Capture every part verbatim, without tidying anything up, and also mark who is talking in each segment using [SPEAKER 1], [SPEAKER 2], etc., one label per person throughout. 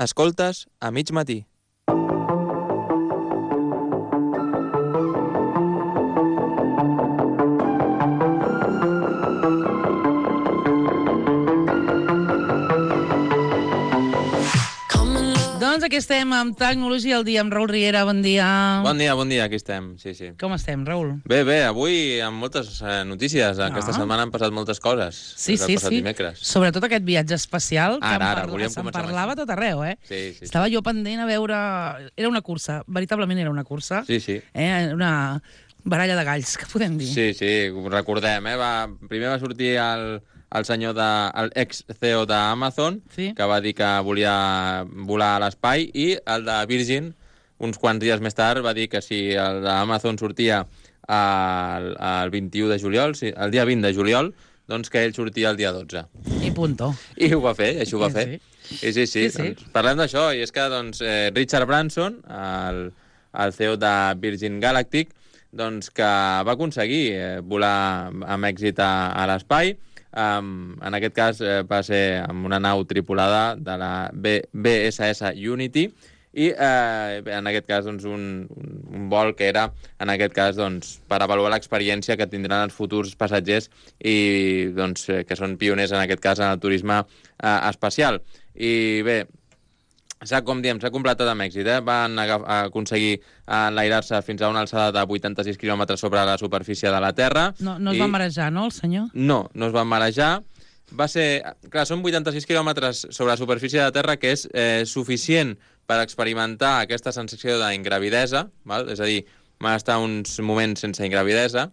[SPEAKER 1] Escoltes a mig matí.
[SPEAKER 2] Doncs aquí estem amb Tecnologia al dia, amb Raül Riera, bon dia.
[SPEAKER 1] Bon dia, bon dia, aquí estem, sí, sí.
[SPEAKER 2] Com estem, Raül?
[SPEAKER 1] Bé, bé, avui amb moltes eh, notícies. Aquesta
[SPEAKER 2] Ah.
[SPEAKER 1] setmana han passat moltes coses.
[SPEAKER 2] Sí,
[SPEAKER 1] des del
[SPEAKER 2] sí,
[SPEAKER 1] passat
[SPEAKER 2] sí.
[SPEAKER 1] dimecres.
[SPEAKER 2] Sobretot aquest viatge espacial, que
[SPEAKER 1] Ara,
[SPEAKER 2] en
[SPEAKER 1] ara,
[SPEAKER 2] parla-
[SPEAKER 1] volíem
[SPEAKER 2] se'n
[SPEAKER 1] començar amb
[SPEAKER 2] parlava a tot arreu, eh?
[SPEAKER 1] Sí, sí.
[SPEAKER 2] Estava jo pendent a veure... Era una cursa, veritablement era una cursa.
[SPEAKER 1] Sí, sí.
[SPEAKER 2] Eh? Una baralla de galls, que podem dir.
[SPEAKER 1] Sí, sí, ho recordem, eh? Va, primer va sortir el, el senyor de... el ex-C E O d'Amazon,
[SPEAKER 2] Sí.
[SPEAKER 1] que va dir que volia volar a l'espai, i el de Virgin, uns quants dies més tard, va dir que si el d'Amazon sortia el, el vint-i-u de juliol, sí, el dia vint de juliol, doncs que ell sortia el dia dotze.
[SPEAKER 2] I punto.
[SPEAKER 1] I ho va fer, així ho va
[SPEAKER 2] Sí,
[SPEAKER 1] fer.
[SPEAKER 2] sí.
[SPEAKER 1] Sí, sí, sí.
[SPEAKER 2] Sí, sí.
[SPEAKER 1] Doncs parlem d'això, i és que doncs, eh, Richard Branson, el, el C E O de Virgin Galactic, doncs, que va aconseguir eh, volar amb èxit a, a l'espai. Um, en aquest cas eh, va ser amb una nau tripulada de la B S S Unity, i eh, en aquest cas doncs, un, un, un vol que era en aquest cas doncs, per avaluar l'experiència que tindran els futurs passatgers i doncs, eh, que són pioners en aquest cas en el turisme eh, espacial. I bé, s'ha, com diem, s'ha completat amb èxit, eh? Van agaf- aconseguir enlairar-se fins a una alçada de vuitanta-sis quilòmetres sobre la superfície de la Terra.
[SPEAKER 2] No, no es
[SPEAKER 1] i...
[SPEAKER 2] va marejar, no, el senyor?
[SPEAKER 1] No, no es van marejar. Va ser... Clar, són vuitanta-sis quilòmetres sobre la superfície de la Terra, que és eh, suficient per experimentar aquesta sensació d'ingravidesa, val? És a dir, van estar uns moments sense ingravidesa.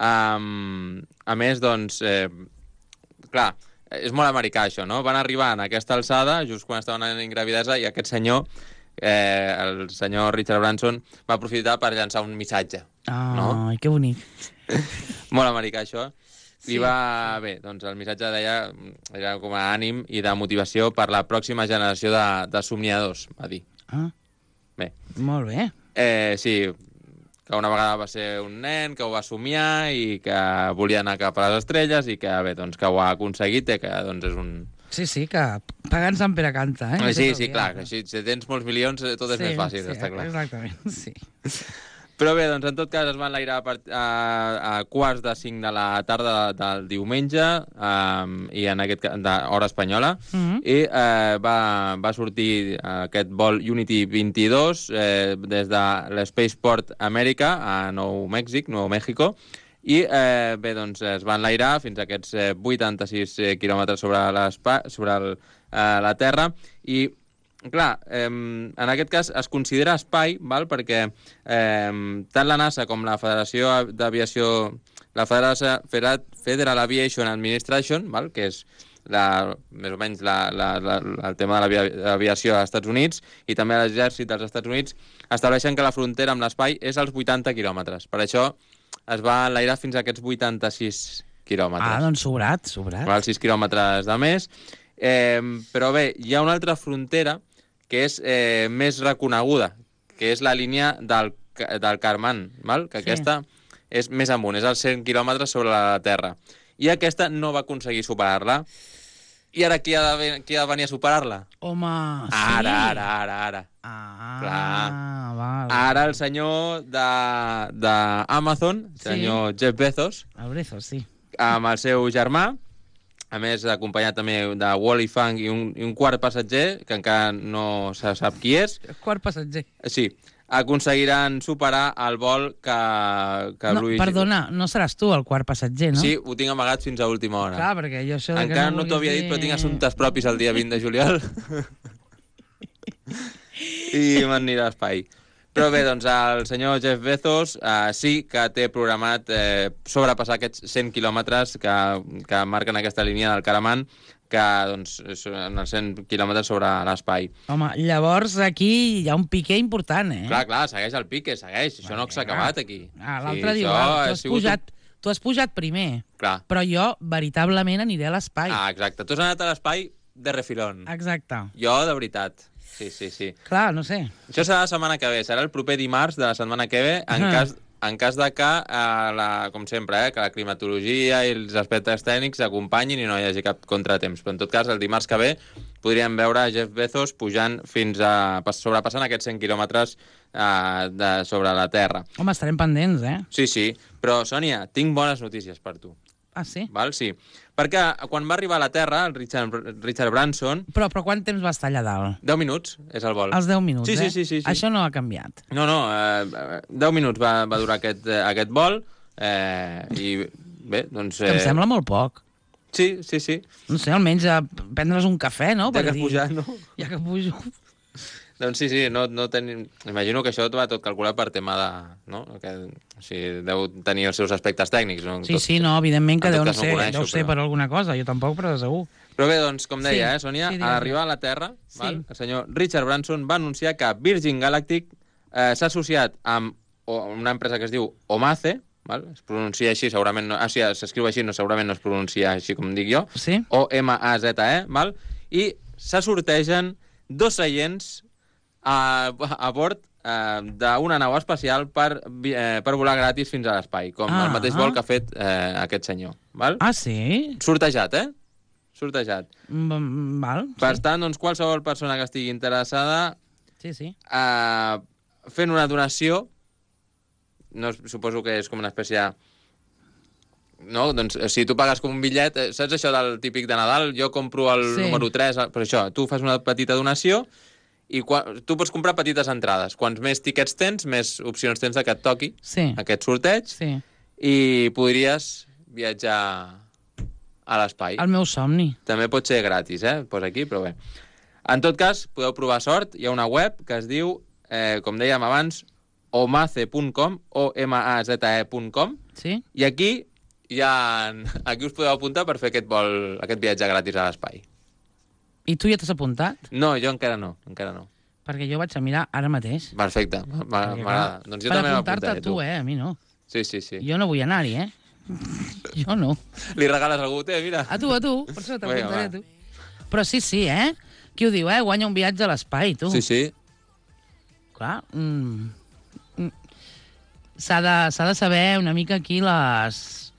[SPEAKER 1] Um, a més, doncs, eh, clar, és molt americà això, no? Van arribar en aquesta alçada, just quan estaven en ingravidesa, i aquest senyor, eh, el senyor Richard Branson, va aprofitar per llançar un missatge.
[SPEAKER 2] Ai,
[SPEAKER 1] No?
[SPEAKER 2] que bonic.
[SPEAKER 1] Molt americà, això.
[SPEAKER 2] Sí,
[SPEAKER 1] I va... Bé, doncs el missatge deia... Era com a ànim i de motivació per la pròxima generació de, de somniadors, va dir.
[SPEAKER 2] Ah,
[SPEAKER 1] Bé.
[SPEAKER 2] molt bé.
[SPEAKER 1] Eh, sí, que una vegada va ser un nen, que ho va somiar i que volia anar cap a les estrelles i que, bé, doncs, que ho ha aconseguit i que, doncs, és un...
[SPEAKER 2] Sí, sí, que pagant Sant Pere canta, eh?
[SPEAKER 1] Eh, sí,
[SPEAKER 2] Tot el
[SPEAKER 1] sí,
[SPEAKER 2] dia.
[SPEAKER 1] clar, que així, si tens molts milions, eh, tot és
[SPEAKER 2] Sí,
[SPEAKER 1] més fàcil,
[SPEAKER 2] sí,
[SPEAKER 1] està clar.
[SPEAKER 2] Exactament, sí.
[SPEAKER 1] Però bé, doncs en tot cas es van enlairar a, part- a, a quarts de cinc de la tarda del diumenge, um, i en aquest cas, d'hora espanyola,
[SPEAKER 2] Mhm.
[SPEAKER 1] i eh, va, va sortir aquest vol Unity vint-i-dos eh, des de l'Spaceport America a Nou Mèxic, Nou México, i eh, bé, doncs es van enlairar fins a aquests eh, vuitanta-sis eh, quilòmetres sobre, sobre el, eh, la Terra, i clar, eh, en aquest cas es considera espai, val? Perquè eh, tant la NASA com la Federació d'Aviació, la Federació, Federal Aviation Administration, val? Que és la, més o menys la, la, la, el tema de l'aviació als Estats Units, i també l'exèrcit dels Estats Units, estableixen que la frontera amb l'espai és als vuitanta quilòmetres. Per això es va enlairar fins a aquests vuitanta-sis quilòmetres.
[SPEAKER 2] Ah, doncs sobrat, sobrat.
[SPEAKER 1] Val, sis quilòmetres de més. Eh, però bé, hi ha una altra frontera que és eh, més reconeguda, que és la línia del, del Kármán, val? Que
[SPEAKER 2] Sí.
[SPEAKER 1] aquesta és més amunt, és als cent quilòmetres sobre la Terra. I aquesta no va aconseguir superar-la. I ara qui ha de, ven- qui ha de venir a superar-la?
[SPEAKER 2] Home, sí.
[SPEAKER 1] Ara, ara, ara, ara.
[SPEAKER 2] Ah,
[SPEAKER 1] Clar.
[SPEAKER 2] val.
[SPEAKER 1] Ara el senyor d'Amazon,
[SPEAKER 2] Sí.
[SPEAKER 1] senyor Jeff Bezos,
[SPEAKER 2] El Brezos, sí.
[SPEAKER 1] amb el seu germà, a més acompanyat també de Wally Funk i un, i un quart passatger, que encara no se sap qui és,
[SPEAKER 2] Quart passatger.
[SPEAKER 1] sí, aconseguiran superar el vol que, que
[SPEAKER 2] No,
[SPEAKER 1] Louis...
[SPEAKER 2] perdona, no seràs tu el quart passatger, no?
[SPEAKER 1] Sí, ho tinc amagat fins a última hora.
[SPEAKER 2] Clar, perquè jo això... de que
[SPEAKER 1] Encara no,
[SPEAKER 2] vulguis
[SPEAKER 1] t'ho havia dit,
[SPEAKER 2] dir-
[SPEAKER 1] però tinc assumptes propis el dia vint de juliol. I m'anirà a espai. Però bé, doncs el senyor Jeff Bezos eh, sí que té programat eh, sobrepassar aquests cent quilòmetres que, que marquen aquesta línia del Kármán, que doncs, són els cent quilòmetres sobre l'espai.
[SPEAKER 2] Home, llavors aquí hi ha un piqué important, eh?
[SPEAKER 1] Clar, clar, segueix el pique, segueix. Això no s'ha acabat aquí.
[SPEAKER 2] Ah, l'altre
[SPEAKER 1] Sí,
[SPEAKER 2] diu,
[SPEAKER 1] això
[SPEAKER 2] ah,
[SPEAKER 1] ha
[SPEAKER 2] tu has,
[SPEAKER 1] sigut
[SPEAKER 2] pujat, tu has pujat primer,
[SPEAKER 1] Un... Clar.
[SPEAKER 2] però jo veritablement aniré a l'espai.
[SPEAKER 1] Ah, exacte. Tu has anat a l'espai de refilón.
[SPEAKER 2] Exacte.
[SPEAKER 1] Jo, de veritat. Sí, sí, sí.
[SPEAKER 2] Clar, no sé.
[SPEAKER 1] Això serà la setmana que ve, serà el proper dimarts de la setmana que ve, en
[SPEAKER 2] Ah.
[SPEAKER 1] cas en cas de que, eh, la, com sempre, eh, que la climatologia i els aspectes tècnics s'acompanyin i no hi hagi cap contratemps. Però en tot cas, el dimarts que ve podríem veure Jeff Bezos pujant fins a... sobrepassant aquests cent quilòmetres eh, de, sobre la Terra.
[SPEAKER 2] Home, estarem pendents, eh?
[SPEAKER 1] Sí, sí. Però, Sònia, tinc bones notícies per tu.
[SPEAKER 2] Ah, sí?
[SPEAKER 1] Val? Sí. Perquè quan va arribar a la Terra, el Richard, Richard Branson...
[SPEAKER 2] Però, però quant temps va estar allà dalt?
[SPEAKER 1] deu minuts és el vol.
[SPEAKER 2] Els deu minuts,
[SPEAKER 1] sí,
[SPEAKER 2] eh?
[SPEAKER 1] Sí, sí, sí, sí.
[SPEAKER 2] Això no ha canviat.
[SPEAKER 1] No, no, eh, deu minuts va, va durar aquest, eh, aquest vol eh, i bé, doncs... Eh...
[SPEAKER 2] Em sembla molt poc.
[SPEAKER 1] Sí, sí, sí.
[SPEAKER 2] No sé, almenys a prendre's un cafè, no?
[SPEAKER 1] Ja
[SPEAKER 2] Per
[SPEAKER 1] que has
[SPEAKER 2] dir...
[SPEAKER 1] pujat, no?
[SPEAKER 2] Ja que pujo...
[SPEAKER 1] Doncs sí, sí, no, no tenim... Imagino que això va tot calculat per tema de... No? Que, o sigui, deu tenir els seus aspectes tècnics. No?
[SPEAKER 2] Sí,
[SPEAKER 1] tot,
[SPEAKER 2] sí, no, evidentment que deu, no
[SPEAKER 1] no
[SPEAKER 2] ser,
[SPEAKER 1] coneixo,
[SPEAKER 2] deu ser
[SPEAKER 1] però...
[SPEAKER 2] per alguna cosa, jo tampoc, però de segur.
[SPEAKER 1] Però bé, doncs, com deia,
[SPEAKER 2] Sí,
[SPEAKER 1] eh, Sònia,
[SPEAKER 2] sí,
[SPEAKER 1] a
[SPEAKER 2] digues.
[SPEAKER 1] arribar a la Terra,
[SPEAKER 2] Sí.
[SPEAKER 1] val, el senyor Richard Branson va anunciar que Virgin Galactic eh, s'ha associat amb o, una empresa que es diu Omaze, val? Es pronuncia així, segurament... No, ah, sí, s'escriu així, no, segurament no es pronuncia així com dic jo.
[SPEAKER 2] Sí?
[SPEAKER 1] O M A Z E, val? I se sortegen dos seients a, a bord eh, d'una nau espacial per, eh, per volar gratis fins a l'espai, com
[SPEAKER 2] Ah.
[SPEAKER 1] el mateix vol que ha fet eh, aquest senyor. Val?
[SPEAKER 2] Ah, sí?
[SPEAKER 1] Sortejat, eh? Sortejat.
[SPEAKER 2] Mm, val,
[SPEAKER 1] Per
[SPEAKER 2] sí.
[SPEAKER 1] tant, doncs, qualsevol persona que estigui interessada
[SPEAKER 2] Sí, sí.
[SPEAKER 1] eh, fent una donació, no, suposo que és com una espècie de... No? Doncs si tu pagues com un bitllet, eh, saps això del típic de Nadal? Jo compro el
[SPEAKER 2] Sí.
[SPEAKER 1] número tres, per això, tu fas una petita donació i quan, tu pots comprar petites entrades. Quants més tiquets tens, més opcions tens de que et toqui
[SPEAKER 2] Sí,
[SPEAKER 1] aquest sorteig
[SPEAKER 2] sí.
[SPEAKER 1] i podries viatjar a l'espai.
[SPEAKER 2] El meu somni.
[SPEAKER 1] També pot ser gratis, eh? Posa aquí, però bé. En tot cas, podeu provar sort. Hi ha una web que es diu, eh, com dèiem abans, omaze punt com, o m a z e punt com,
[SPEAKER 2] Sí?
[SPEAKER 1] i aquí hi ha... aquí us podeu apuntar per fer aquest vol, aquest viatge gratis a l'espai.
[SPEAKER 2] I tu ja t'has apuntat?
[SPEAKER 1] No, jo encara no, encara no.
[SPEAKER 2] Perquè jo vaig a mirar ara mateix.
[SPEAKER 1] Perfecte,
[SPEAKER 2] Perquè,
[SPEAKER 1] m'agrada.
[SPEAKER 2] clar,
[SPEAKER 1] Doncs jo
[SPEAKER 2] per
[SPEAKER 1] també
[SPEAKER 2] apuntar-te
[SPEAKER 1] m'apuntaré,
[SPEAKER 2] a tu, eh? A mi no.
[SPEAKER 1] Sí, sí, sí.
[SPEAKER 2] Jo no vull anar-hi, eh? Jo no.
[SPEAKER 1] Li regales a algú? Té, mira.
[SPEAKER 2] A tu, a tu. Per això
[SPEAKER 1] Vinga,
[SPEAKER 2] t'apuntaré
[SPEAKER 1] va.
[SPEAKER 2] a tu. Però sí, sí, eh? Qui ho diu, eh? Guanya un viatge a l'espai, tu.
[SPEAKER 1] Sí, sí.
[SPEAKER 2] Clar. Mm, mm. S'ha de, s'ha de saber una mica aquí les...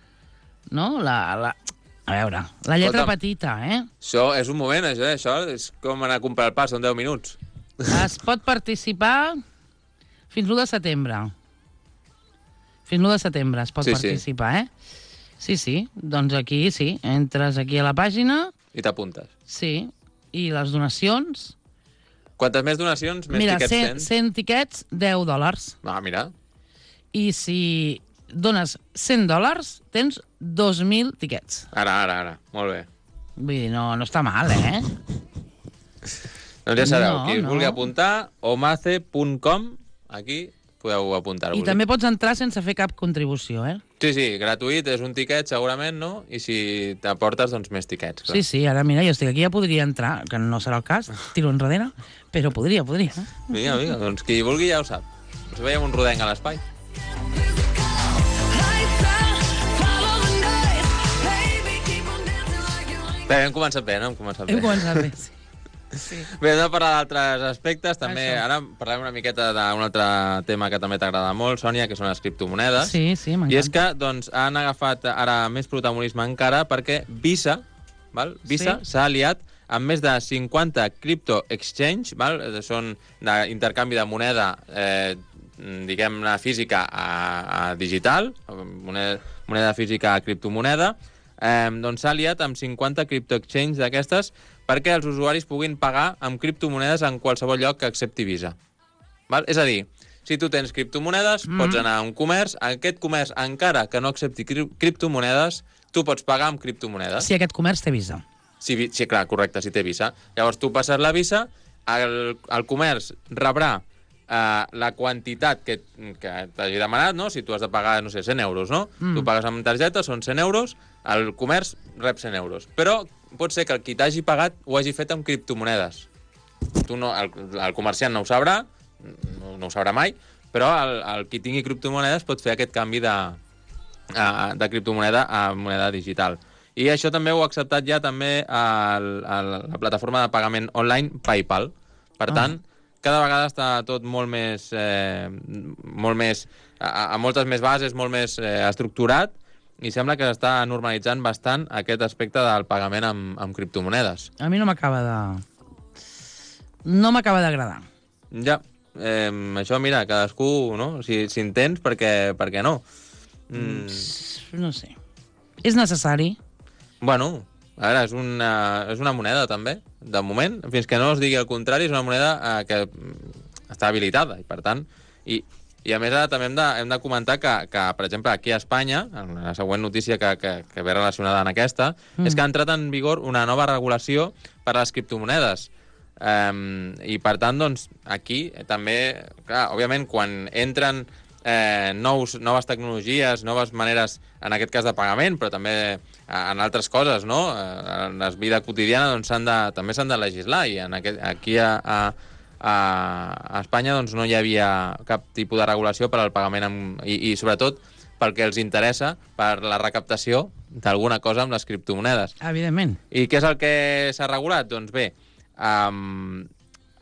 [SPEAKER 2] No? La, la... A veure, la lletra
[SPEAKER 1] Escolta'm.
[SPEAKER 2] petita, eh?
[SPEAKER 1] Això és un moment, això, eh? Això és com anar a comprar el pa, són deu minuts.
[SPEAKER 2] Es pot participar fins l'u de setembre. Fins l'u de setembre es pot
[SPEAKER 1] Sí, sí.
[SPEAKER 2] participar, eh? Sí, sí. Doncs aquí, sí. Entres aquí a la pàgina,
[SPEAKER 1] I t'apuntes.
[SPEAKER 2] sí. I les donacions...
[SPEAKER 1] Quantes més donacions, més
[SPEAKER 2] Mira,
[SPEAKER 1] tiquets
[SPEAKER 2] cent,
[SPEAKER 1] tens?
[SPEAKER 2] cent tiquets, deu dòlars.
[SPEAKER 1] Ah, mira.
[SPEAKER 2] I si dones cent dòlars, tens dos mil tiquets.
[SPEAKER 1] Ara, ara, ara. Molt bé.
[SPEAKER 2] Vull dir, no, no està mal, eh?
[SPEAKER 1] Doncs ja sabeu,
[SPEAKER 2] No,
[SPEAKER 1] qui es
[SPEAKER 2] no.
[SPEAKER 1] vulgui apuntar, omaze punt com, aquí podeu apuntar-vos.
[SPEAKER 2] I també pots entrar sense fer cap contribució, eh?
[SPEAKER 1] Sí, sí, gratuït, és un tiquet segurament, no? I si t'aportes, doncs més tiquets. Clar.
[SPEAKER 2] Sí, sí, ara mira, jo estic aquí, ja podria entrar, que no serà el cas, tiro enrere, però podria, podria.
[SPEAKER 1] Vinga, vinga, doncs qui vulgui ja ho sap. Ens veiem un rodenc a l'espai. Bé, hem començat bé, no? Hem començat bé.
[SPEAKER 2] Hem començat bé, sí. Sí.
[SPEAKER 1] Bé, hem de parlar d'altres aspectes, també.
[SPEAKER 2] Això.
[SPEAKER 1] Ara parlem una miqueta d'un altre tema que també t'agrada molt, Sònia, que són les criptomonedes.
[SPEAKER 2] Sí, sí,
[SPEAKER 1] I és
[SPEAKER 2] m'encanta.
[SPEAKER 1] que doncs, han agafat ara més protagonisme encara perquè Visa val? Visa
[SPEAKER 2] Sí.
[SPEAKER 1] s'ha aliat amb més de cinquanta crypto exchange, val? Són d'intercanvi de moneda, eh, diguem-ne, física a, a digital, moneda, moneda física a criptomoneda, eh, doncs s'ha aliat amb cinquanta crypto exchange d'aquestes perquè els usuaris puguin pagar amb criptomonedes en qualsevol lloc que accepti Visa. Val? És a dir, si tu tens criptomonedes, mm. pots anar a un comerç, aquest comerç, encara que no accepti cri criptomonedes, tu pots pagar amb criptomonedes.
[SPEAKER 2] Si aquest comerç té Visa.
[SPEAKER 1] Sí, sí, clar, correcte, si té Visa. Llavors tu passes la Visa, el, el comerç rebrà eh, la quantitat que, que t'hagi demanat, no? Si tu has de pagar, no sé, cent euros, no?
[SPEAKER 2] Mm.
[SPEAKER 1] Tu pagues amb targeta, són cent euros, el comerç rep cent euros. Però pot ser que el qui t'hagi pagat ho hagi fet amb criptomonedes. Tu no, el, el comerciant no ho sabrà, no, no ho sabrà mai, però el, el qui tingui criptomonedes pot fer aquest canvi de, de criptomoneda a moneda digital. I això també ho ha acceptat ja també el, el, la plataforma de pagament online PayPal. Per tant, cada vegada està tot molt més... Eh, molt més a, a moltes més bases, molt més eh, estructurat, i sembla que s'està normalitzant bastant aquest aspecte del pagament amb, amb criptomonedes.
[SPEAKER 2] A mi no m'acaba de... No m'acaba d'agradar.
[SPEAKER 1] Ja, eh, això, mira, cadascú, no? Si, si en tens, per què, per què no?
[SPEAKER 2] Mm. No sé. És necessari?
[SPEAKER 1] Bueno, a veure, és una, és una moneda, també, de moment. Fins que no es digui el contrari, és una moneda eh, que està habilitada, i per tant... I, i a més, ara també hem de, hem de comentar que, que, per exemple, aquí a Espanya, en la següent notícia que, que, que ve relacionada amb aquesta, mm. és que ha entrat en vigor una nova regulació per a les criptomonedes. Um, I, per tant, doncs, aquí també, clar, òbviament, quan entren eh, nous, noves tecnologies, noves maneres, en aquest cas de pagament, però també en altres coses, no? En la vida quotidiana, doncs, s'han de, també s'han de legislar, i en aquest, aquí a, a, a Espanya doncs, no hi havia cap tipus de regulació per al pagament amb, i, i, sobretot, pel que els interessa, per la recaptació d'alguna cosa amb les criptomonedes.
[SPEAKER 2] Evidentment.
[SPEAKER 1] I què és el que s'ha regulat? Doncs bé, Um,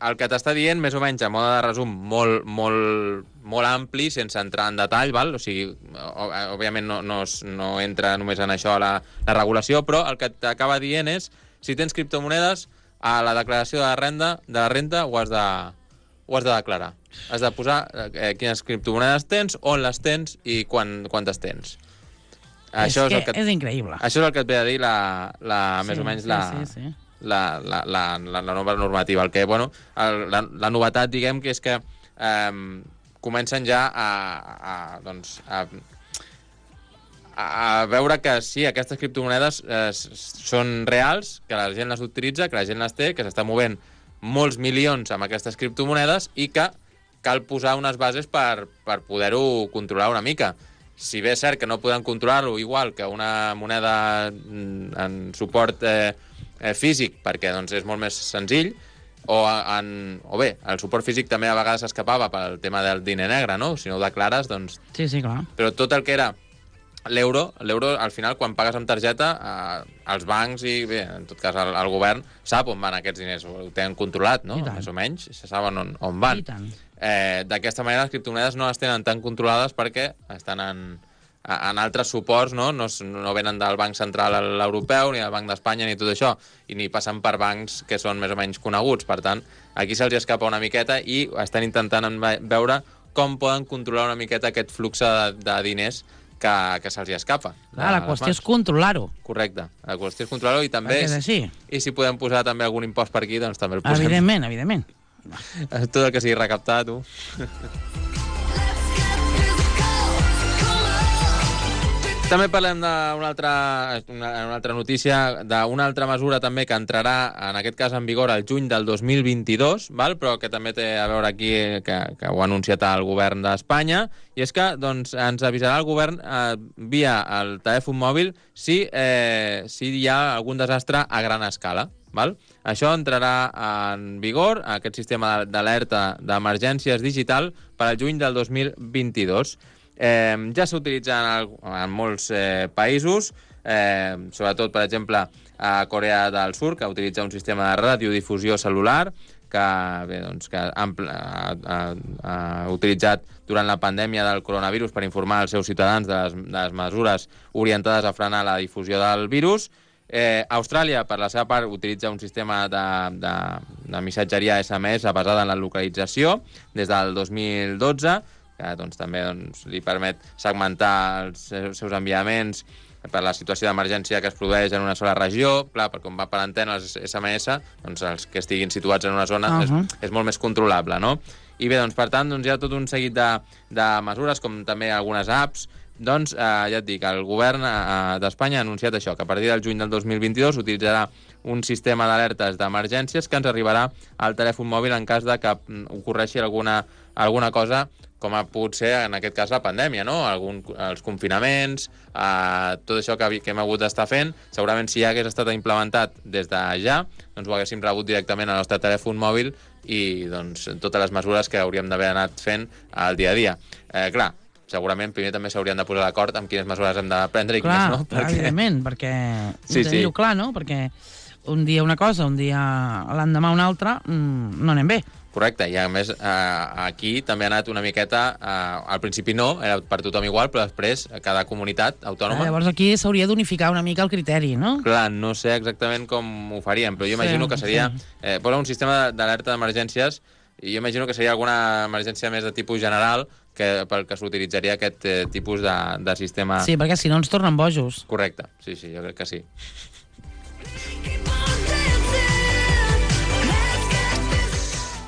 [SPEAKER 1] el que t'està dient, més o menys, a mode de resum, molt, molt, molt ampli, sense entrar en detall, val? O sigui, òbviament no, no, no entra només en això la, la regulació, però el que t'acaba dient és, si tens criptomonedes, a la declaració de la renda, de la renta ho has de, ho has de declarar. Has de posar eh, quines criptomonedes tens, on les tens i quan, quantes tens.
[SPEAKER 2] És això que és, el que, és increïble.
[SPEAKER 1] Això és el que et ve a dir la, la,
[SPEAKER 2] sí,
[SPEAKER 1] més o menys
[SPEAKER 2] sí,
[SPEAKER 1] la...
[SPEAKER 2] Sí, sí.
[SPEAKER 1] La, la, la, la, la nova normativa. El que, bueno, el, la, la novetat, diguem, que és que eh, comencen ja a, a, doncs, a, a veure que sí, aquestes criptomonedes eh, són reals, que la gent les utilitza, que la gent les té, que s'està movent molts milions amb aquestes criptomonedes i que cal posar unes bases per, per poder-ho controlar una mica. Si bé és cert que no podem controlar-ho igual que una moneda en suport eh, eh, físic, perquè doncs, és molt més senzill, o, en, o bé, el suport físic també a vegades s'escapava pel tema del diner negre, no? Si no ho declares, doncs...
[SPEAKER 2] Sí, sí, clar.
[SPEAKER 1] Però tot el que era l'euro, l'euro, al final, quan pagues amb targeta, eh, els bancs i, bé, en tot cas, el, el govern sap on van aquests diners, ho tenen controlat, no? Més o menys, se saben on, on van.
[SPEAKER 2] I tant.
[SPEAKER 1] Eh, D'aquesta manera, les criptomonedes no les tenen tan controlades perquè estan en, en altres suports, no? No, no venen del Banc Central Europeu, ni del Banc d'Espanya, ni tot això, i ni passen per bancs que són més o menys coneguts. Per tant, aquí se'ls escapa una miqueta i estan intentant veure com poden controlar una miqueta aquest flux de, de diners que, que se'ls escapa.
[SPEAKER 2] Clar, la qüestió és controlar-ho.
[SPEAKER 1] Correcte, la qüestió és controlar-ho i també...
[SPEAKER 2] Perquè és així.
[SPEAKER 1] I si podem posar també algun impost per aquí, doncs també el posem.
[SPEAKER 2] Evidentment, evidentment.
[SPEAKER 1] Tot el que sigui recaptar, tu. També parlem d'una altra, una, una altra notícia, d'una altra mesura també que entrarà, en aquest cas, en vigor el juny del dos mil vint-i-dos, val? Però que també té a veure aquí, que, que ho ha anunciat el govern d'Espanya, i és que doncs, ens avisarà el govern eh, via el telèfon mòbil si, eh, si hi ha algun desastre a gran escala. Val? Això entrarà en vigor, aquest sistema d'alerta d'emergències digital, per al juny del dos mil vint-i-dos. Eh, ja s'utilitza en, en molts eh, països, eh, sobretot, per exemple, a Corea del Sur, que utilitza un sistema de radiodifusió cel·lular que, bé, doncs, que ha, ha, ha, ha utilitzat durant la pandèmia del coronavirus per informar els seus ciutadans de les, de les mesures orientades a frenar la difusió del virus. Eh, Austràlia, per la seva part, utilitza un sistema de, de, de missatgeria S M S basada en la localització des del dos mil dotze, que doncs, també doncs, li permet segmentar els seus enviaments per la situació d'emergència que es produeix en una sola regió. Clar, perquè com va per antena els S M S, doncs els que estiguin situats en una zona uh -huh. és, és molt més controlable, no? I bé, doncs, per tant, doncs, hi ha tot un seguit de, de mesures, com també algunes apps. Doncs, eh, ja et dic, el govern eh, d'Espanya ha anunciat això, que a partir del juny del dos mil vint-i-dos utilitzarà un sistema d'alertes d'emergències que ens arribarà al telèfon mòbil en cas de que ocorreixi alguna, alguna cosa, com ha pogut ser, en aquest cas, la pandèmia, no? Algun, els confinaments, eh, tot això que, que hem hagut d'estar fent. Segurament, si ja hagués estat implementat des de ja, doncs ho haguéssim rebut directament al nostre telèfon mòbil i doncs, totes les mesures que hauríem d'haver anat fent al dia a dia. Eh, clar, segurament primer també s'haurien de posar d'acord amb quines mesures hem de prendre i
[SPEAKER 2] clar,
[SPEAKER 1] quines no.
[SPEAKER 2] Perquè... evidentment, perquè...
[SPEAKER 1] Sí, sí.
[SPEAKER 2] Clar, no? Perquè un dia una cosa, un dia l'endemà una altra, no anem bé.
[SPEAKER 1] Correcte, i a més eh, aquí també ha anat una miqueta, eh, al principi no, era per tothom igual, però després cada comunitat autònoma...
[SPEAKER 2] Ah, llavors aquí s'hauria d'unificar una mica el criteri, no?
[SPEAKER 1] Clar, no sé exactament com ho farien, però jo imagino sí, que seria... Sí. Eh, posa un sistema d'alerta d'emergències i jo imagino que seria alguna emergència més de tipus general que pel que s'utilitzaria aquest eh, tipus de, de sistema...
[SPEAKER 2] Sí, perquè si no ens tornen bojos.
[SPEAKER 1] Correcte, sí, sí, jo crec que sí.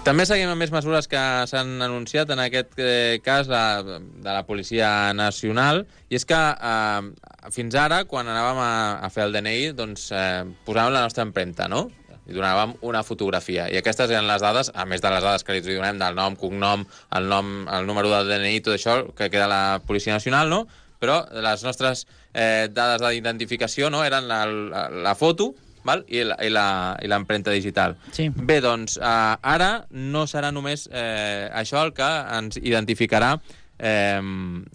[SPEAKER 1] També seguim amb més mesures que s'han anunciat, en aquest eh, cas la, de la Policia Nacional, i és que eh, fins ara, quan anàvem a, a fer el D N I, doncs eh, posàvem la nostra empremta, no? I donàvem una fotografia. I aquestes eren les dades, a més de les dades que li donem del nom, cognom, el nom, el número del D N I, tot això que queda a la Policia Nacional, no? Però les nostres eh, dades d'identificació, no?, eren la, la, la foto, val? I l'empremta digital.
[SPEAKER 2] Sí.
[SPEAKER 1] Bé, doncs, eh, ara no serà només eh, això el que ens identificarà, eh,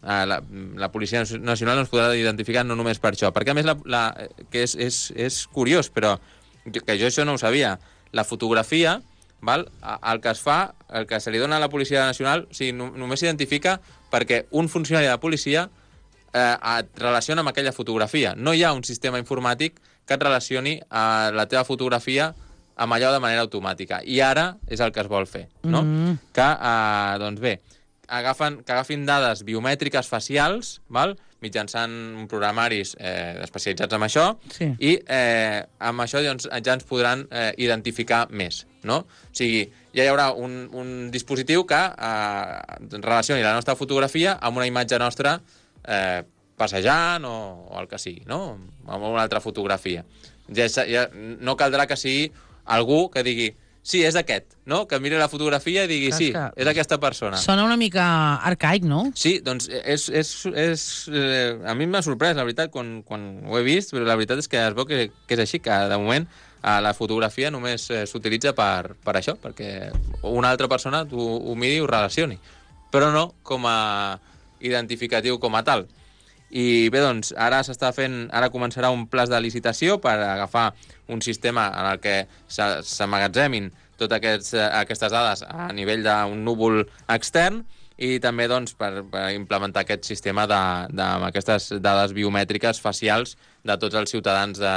[SPEAKER 1] la, la Policia Nacional ens podrà identificar no només per això, perquè a més, la, la, que és, és, és curiós, però que jo això no ho sabia, la fotografia, val? El que es fa, el que se li dona a la Policia Nacional, o sigui, no, només s'identifica perquè un funcionari de policia eh, et relaciona amb aquella fotografia. No hi ha un sistema informàtic que et relacioni a la teva fotografia amb allò de manera automàtica. I ara és el que es vol fer, no? Mm-hmm. Que, eh, doncs bé, agafen, que agafin dades biomètriques facials, val? Mitjançant programaris eh, especialitzats en això,
[SPEAKER 2] sí.
[SPEAKER 1] I eh, amb això doncs, ja ens podran eh, identificar més, no? O sigui, ja hi haurà un, un dispositiu que eh, relacioni la nostra fotografia amb una imatge nostra eh, passejant o, o el que sigui, no? Amb una altra fotografia. Ja, ja no caldrà que sigui algú que digui sí, és aquest, no? Que miri la fotografia i digui, sí, és aquesta persona.
[SPEAKER 2] Sona una mica arcaic, no?
[SPEAKER 1] Sí, doncs és, és, és, eh, a mi m'ha sorprès, la veritat, quan, quan ho he vist, però la veritat és que es veu que, que és així, que de moment eh, la fotografia només eh, s'utilitza per, per això, perquè una altra persona ho, ho miri i ho relacioni, però no com a identificatiu com a tal. I bé, doncs, ara s'està fent, ara començarà un pla de licitació per agafar un sistema en el que s'emmagatzemin totes aquests, aquestes dades a nivell d'un núvol extern i també doncs, per, per implementar aquest sistema de, de, amb aquestes dades biomètriques facials de tots els ciutadans de,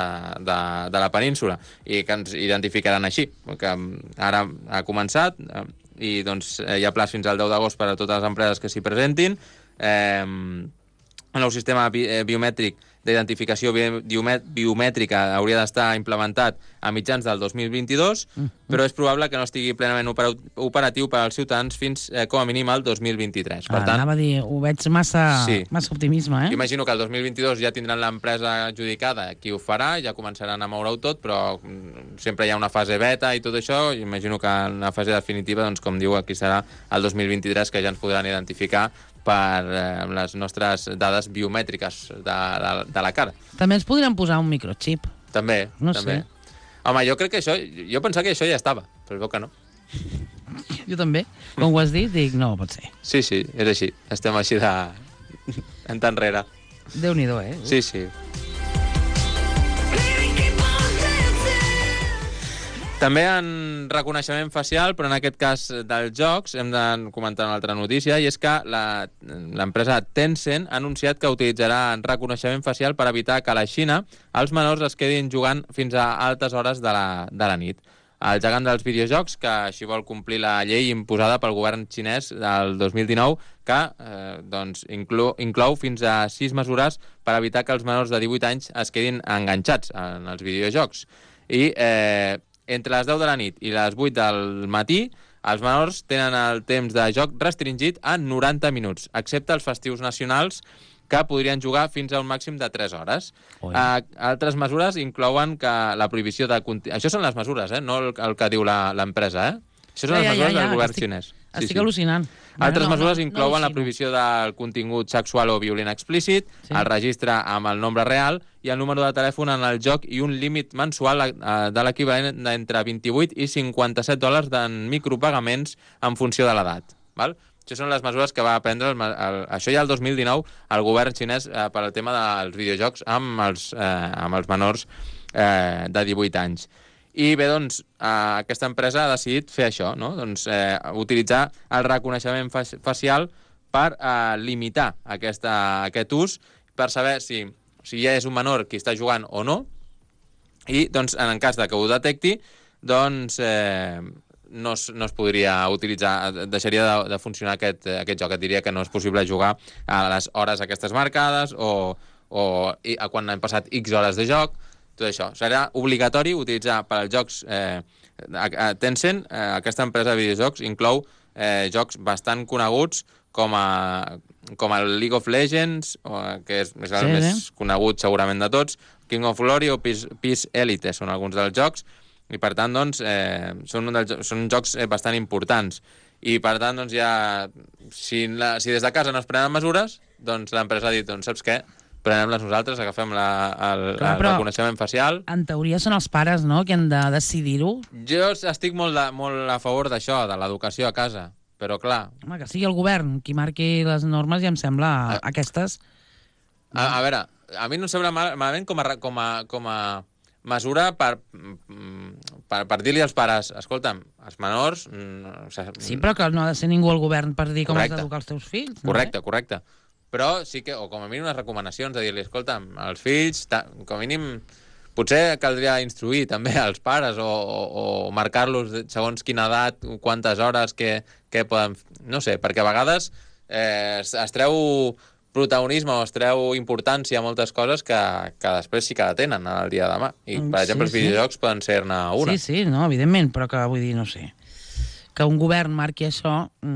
[SPEAKER 1] de, de la península i que ens identificaran així, que ara ha començat i doncs, hi ha plaç fins al deu d'agost per a totes les empreses que s'hi presentin. Eh, El nou sistema bi biomètric d'identificació biomètrica hauria d'estar implementat a mitjans del dos mil vint-i-dos, mm. però és probable que no estigui plenament operatiu per als ciutadans fins, eh, com a mínim, al dos mil vint-i-tres. Per
[SPEAKER 2] ah,
[SPEAKER 1] tant,
[SPEAKER 2] anava a dir, ho veig massa,
[SPEAKER 1] sí.
[SPEAKER 2] massa optimisme, eh?
[SPEAKER 1] Imagino que el dos mil vint-i-dos ja tindran l'empresa adjudicada, qui ho farà, ja començaran a moure-ho tot, però sempre hi ha una fase beta i tot això, i imagino que en la fase definitiva, doncs, com diu, aquí serà el dos mil vint-i-tres, que ja ens podran identificar per eh, les nostres dades biomètriques de, de, de la cara.
[SPEAKER 2] També ens podrien posar un microchip.
[SPEAKER 1] També,
[SPEAKER 2] no
[SPEAKER 1] també.
[SPEAKER 2] Sé.
[SPEAKER 1] Home, jo crec que això... Jo pensava que això ja estava, però veu que no.
[SPEAKER 2] Jo també. Com ho has dit, dic, no pot ser.
[SPEAKER 1] Sí, sí, és així. Estem així de... en tan enrere.
[SPEAKER 2] Déu-n'hi-do, eh?
[SPEAKER 1] Sí, sí. També en reconeixement facial, però en aquest cas dels jocs, hem de comentar una altra notícia, i és que l'empresa Tencent ha anunciat que utilitzarà reconeixement facial per evitar que a la Xina els menors es quedin jugant fins a altes hores de la, de la nit. El gegant dels videojocs, que així vol complir la llei imposada pel govern xinès del dos mil dinou, que eh, doncs, inclou, inclou fins a sis mesures per evitar que els menors de divuit anys es quedin enganxats en els videojocs. I eh, entre les deu de la nit i les vuit del matí, els menors tenen el temps de joc restringit a noranta minuts, excepte els festius nacionals, que podrien jugar fins a un màxim de tres hores. Uh, altres mesures inclouen que la prohibició de... Això són les mesures, eh? No el, el que diu l'empresa, eh? Això són
[SPEAKER 2] ja,
[SPEAKER 1] les mesures
[SPEAKER 2] ja, ja,
[SPEAKER 1] del govern
[SPEAKER 2] estic,
[SPEAKER 1] xinès.
[SPEAKER 2] Estic sí, al·lucinant.
[SPEAKER 1] Sí. Altres
[SPEAKER 2] no,
[SPEAKER 1] mesures
[SPEAKER 2] no,
[SPEAKER 1] inclouen
[SPEAKER 2] no
[SPEAKER 1] la prohibició del contingut sexual o violent explícit, sí. El registre amb el nombre real i el número de telèfon en el joc i un límit mensual de l'equivalent d'entre vint-i-vuit i cinquanta-set dòlars en micropagaments en funció de l'edat. Això són les mesures que va prendre, el, el, això ja el dos mil dinou, el govern xinès eh, per al tema dels videojocs amb els, eh, amb els menors eh, de divuit anys. I bé, doncs, eh, aquesta empresa ha decidit fer això, no? Doncs eh, utilitzar el reconeixement facial per eh, limitar aquesta, aquest ús, per saber si, si ja és un menor qui està jugant o no, i doncs, en cas de que ho detecti, doncs eh, no, es, no es podria utilitzar, deixaria de, de funcionar aquest, aquest joc. Et diria que no és possible jugar a les hores aquestes marcades o, o a quan han passat X hores de joc. Tot això. Serà obligatori utilitzar per als jocs... Eh, Tencent, eh, aquesta empresa de videojocs, inclou eh, jocs bastant coneguts com, a, com el League of Legends, o, que és, és el sí, més sí. conegut segurament de tots, King of Glory o Peace, Peace Elite són alguns dels jocs, i per tant, doncs, eh, són, un dels, són jocs bastant importants. I per tant, doncs, ja, si, la, si des de casa no es prenen mesures, doncs l'empresa ha dit, doncs, saps què? Prenem-les nosaltres, agafem la, el, Clar, el reconeixement facial.
[SPEAKER 2] En teoria són els pares, no?, que han de decidir-ho.
[SPEAKER 1] Jo estic molt, de, molt a favor d'això, de l'educació a casa, però clar...
[SPEAKER 2] Home, que sigui el govern qui marqui les normes, ja em sembla, a, aquestes...
[SPEAKER 1] A, a veure, a mi no em sembla mal, malament com a, com a, com a mesura per, per, per dir-li als pares, escolta'm, els menors... O sigui,
[SPEAKER 2] sí, però que no ha de ser ningú al govern per dir com correcte. Has d'educar els teus fills. No?
[SPEAKER 1] Correcte, correcte. Però sí que, o com a mínim unes recomanacions, de dir-li, escolta'm, els fills, ta, com a mínim, potser caldria instruir també als pares o, o, o marcar-los segons quina edat, quantes hores, què, què poden... No sé, perquè a vegades eh, es, es treu protagonisme o es treu importància a moltes coses que, que després sí que tenen el dia de demà. I, per exemple, sí, els videojocs sí. poden ser-ne una.
[SPEAKER 2] Sí, sí, no, evidentment, però que vull dir, no sé... que un govern marqui això,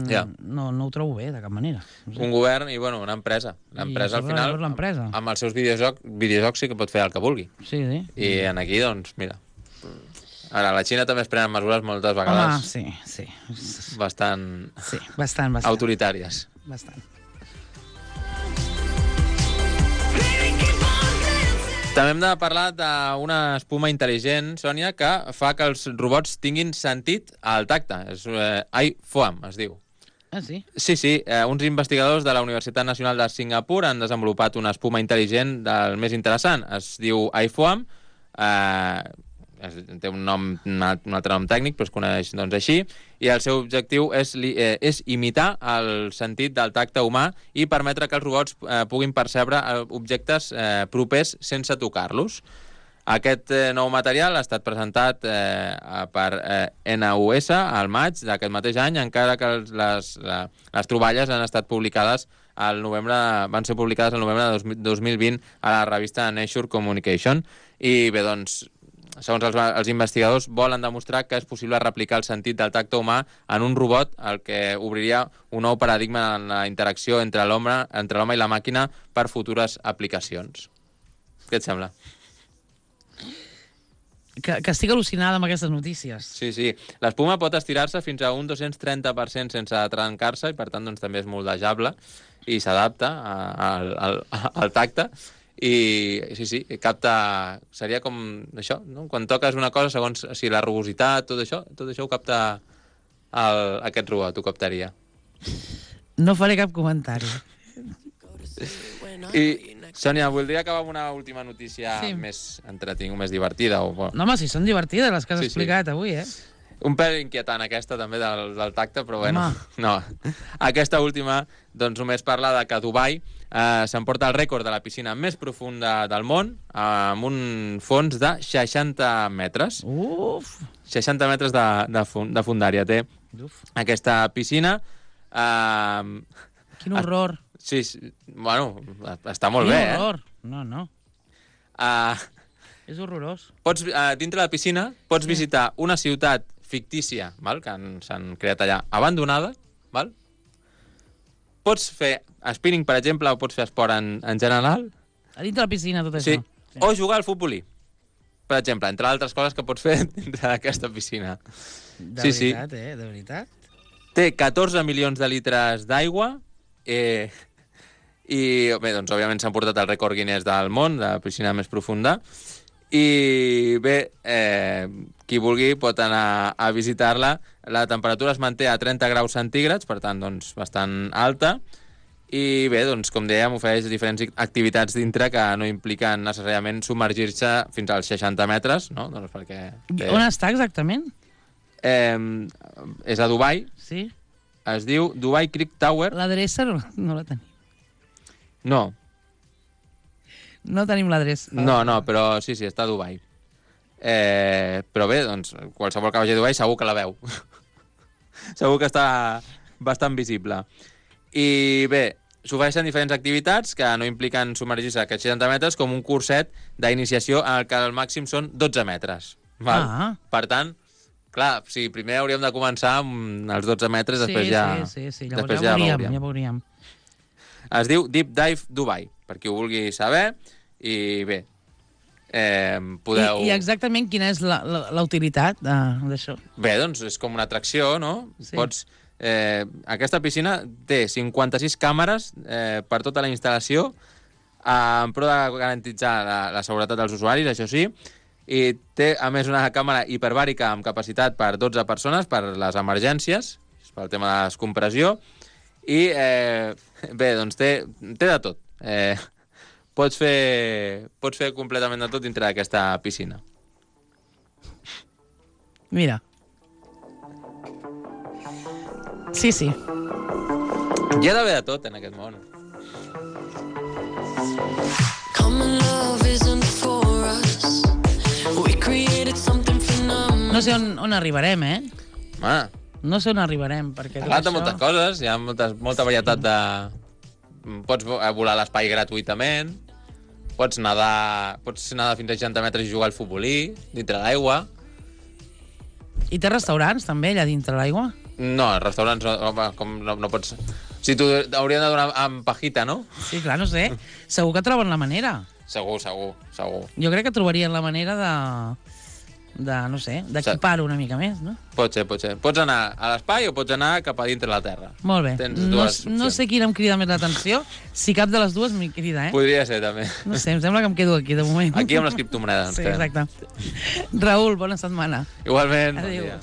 [SPEAKER 2] ja. no, no ho trobo bé, de cap manera. No sé.
[SPEAKER 1] Un govern i, bueno, una empresa. L'empresa, al final, amb, amb els seus videojocs, videojocs sí que pot fer el que vulgui.
[SPEAKER 2] Sí, sí.
[SPEAKER 1] I en aquí, doncs, mira... Ara, a la Xina també es prenen mesures moltes vegades...
[SPEAKER 2] Home, sí, sí.
[SPEAKER 1] Bastant...
[SPEAKER 2] Sí, bastant, bastant.
[SPEAKER 1] Autoritàries.
[SPEAKER 2] Bastant.
[SPEAKER 1] També hem de parlar d'una espuma intel·ligent, Sònia, que fa que els robots tinguin sentit al tacte. És eh, iFoam, es diu.
[SPEAKER 2] Ah, sí?
[SPEAKER 1] Sí, sí. Eh, uns investigadors de la Universitat Nacional de Singapur han desenvolupat una espuma intel·ligent del més interessant. Es diu iFoam. Eh, té un nom, un altre nom tècnic, però es coneix doncs, així, i el seu objectiu és, eh, és imitar el sentit del tacte humà i permetre que els robots eh, puguin percebre objectes eh, propers sense tocar-los. Aquest eh, nou material ha estat presentat eh, per eh, N U S al maig d'aquest mateix any, encara que les, la, les troballes han estat publicades al novembre, van ser publicades al novembre de dos mil vint a la revista Nature Communication. I bé, doncs, segons els, els investigadors, volen demostrar que és possible replicar el sentit del tacte humà en un robot, el que obriria un nou paradigma en la interacció entre l'home entre l'home i la màquina per futures aplicacions. Què et sembla?
[SPEAKER 2] Que, que estic al·lucinada amb aquestes notícies.
[SPEAKER 1] Sí, sí. L'espuma pot estirar-se fins a un dos-cents trenta per cent sense trencar-se i, per tant, doncs, també és moldejable i s'adapta al, al, al tacte. I sí, sí, capta... Seria com això, no? Quan toques una cosa, segons si la rugositat, tot això, tot això ho capta el, aquest robot, ho captaria.
[SPEAKER 2] No faré cap comentari.
[SPEAKER 1] I, Sònia, voldria acabar amb una última notícia sí. més entretinguda, més divertida. O...
[SPEAKER 2] No, home, si són divertides les que has sí, explicat sí. avui, eh?
[SPEAKER 1] Un pèl inquietant aquesta també del, del tacte, però bueno, home. no. Aquesta última doncs només parla de que Dubai eh, s'emporta el rècord de la piscina més profunda del món eh, amb un fons de seixanta metres.
[SPEAKER 2] Uf!
[SPEAKER 1] seixanta metres de, de, fund, de fundària té Uf. aquesta piscina. Eh,
[SPEAKER 2] Quin horror!
[SPEAKER 1] Sí, sí, bueno, està molt
[SPEAKER 2] Quin
[SPEAKER 1] bé,
[SPEAKER 2] horror.
[SPEAKER 1] eh?
[SPEAKER 2] No, no.
[SPEAKER 1] Uh,
[SPEAKER 2] És horrorós.
[SPEAKER 1] Pots, uh, dintre de la piscina pots sí. visitar una ciutat fictícia, val? Que s'han creat allà, abandonada, val? Pots fer spinning, per exemple, o pots fer esport en, en general.
[SPEAKER 2] A dintre de la piscina, tot
[SPEAKER 1] sí.
[SPEAKER 2] això.
[SPEAKER 1] Sí. O jugar al futbolí, per exemple, entre altres coses que pots fer dintre d'aquesta piscina.
[SPEAKER 2] De
[SPEAKER 1] sí,
[SPEAKER 2] veritat,
[SPEAKER 1] sí.
[SPEAKER 2] eh? De veritat.
[SPEAKER 1] Té catorze milions de litres d'aigua eh, i, bé, doncs, òbviament s'han portat el rècord Guinness del món, de la piscina més profunda. I bé, eh, qui vulgui pot anar a visitar-la. La temperatura es manté a trenta graus centígrads, per tant, doncs, bastant alta. I bé, doncs, com dèiem, ofereix diferents activitats dintre que no impliquen necessàriament submergir-se fins als seixanta metres, no? Doncs perquè... Té...
[SPEAKER 2] On està exactament?
[SPEAKER 1] Eh, és a Dubai.
[SPEAKER 2] Sí.
[SPEAKER 1] Es diu Dubai Creek Tower.
[SPEAKER 2] L'adreça no, no la tenim.
[SPEAKER 1] No.
[SPEAKER 2] No tenim l'adreça.
[SPEAKER 1] No, no, però sí, sí, està a Dubai. Eh, però bé, doncs, qualsevol que vagi a Dubai segur que la veu. Segur que està bastant visible. I bé, s'ofereixen diferents activitats que no impliquen submergir-se a aquests seixanta metres, com un curset d'iniciació en el que el màxim són dotze metres. Val?
[SPEAKER 2] Ah.
[SPEAKER 1] Per tant, clar, sí, primer hauríem de començar amb els dotze metres,
[SPEAKER 2] Sí,
[SPEAKER 1] després ja...
[SPEAKER 2] sí, sí, sí. Llavors
[SPEAKER 1] després
[SPEAKER 2] ja,
[SPEAKER 1] ja
[SPEAKER 2] veuríem,
[SPEAKER 1] veuríem.
[SPEAKER 2] ja veuríem.
[SPEAKER 1] Es diu Deep Dive Dubai, per qui ho vulgui saber, i bé, eh, podeu...
[SPEAKER 2] I, I exactament quina és la, la, la utilitat d'això?
[SPEAKER 1] Bé, doncs és com una atracció, no?
[SPEAKER 2] Sí.
[SPEAKER 1] Pots... Eh, aquesta piscina té cinquanta-sis càmeres eh, per tota la instal·lació, eh, en pro de garantitzar la, la seguretat dels usuaris, això sí, i té, a més, una càmera hiperbàrica amb capacitat per dotze persones per les emergències, pel tema de la descompressió, i eh, bé, doncs té, té de tot. Eh, pots fer, pots fer completament de tot dintre d'aquesta piscina.
[SPEAKER 2] Mira. Sí, sí.
[SPEAKER 1] Hi ha d'haver de tot en aquest món.
[SPEAKER 2] No sé on, on arribarem, eh?
[SPEAKER 1] Home,
[SPEAKER 2] No sé on arribarem, perquè...
[SPEAKER 1] parlat de moltes coses, hi ha moltes, molta varietat de... Pots volar a l'espai gratuïtament, pots nedar, pots nedar fins a seixanta metres i jugar al futbolí, dintre l'aigua.
[SPEAKER 2] I té restaurants, també, allà dintre l'aigua?
[SPEAKER 1] No, els restaurants no, home, com no, no pots... Si tu hauríem de donar amb pajita, no?
[SPEAKER 2] Sí, clar, no sé. Segur que troben la manera.
[SPEAKER 1] Segur, segur, segur.
[SPEAKER 2] Jo crec que trobarien la manera de... de, no sé, d'equipar-ho una mica més, no?
[SPEAKER 1] Pot ser, pot ser. Pots anar a l'espai o pots anar cap a dintre la Terra.
[SPEAKER 2] Molt bé.
[SPEAKER 1] Tens
[SPEAKER 2] No,
[SPEAKER 1] dues
[SPEAKER 2] no
[SPEAKER 1] opcions.
[SPEAKER 2] sé quina em crida més l'atenció. Si cap de les dues m'hi crida, eh?
[SPEAKER 1] Podria ser, també.
[SPEAKER 2] No sé, em sembla que em quedo aquí, de moment.
[SPEAKER 1] Aquí amb les criptomonedes.
[SPEAKER 2] Sí,
[SPEAKER 1] ens quedem.
[SPEAKER 2] exacte. Raül, bona setmana.
[SPEAKER 1] Igualment.
[SPEAKER 2] Adéu.
[SPEAKER 1] Bon dia.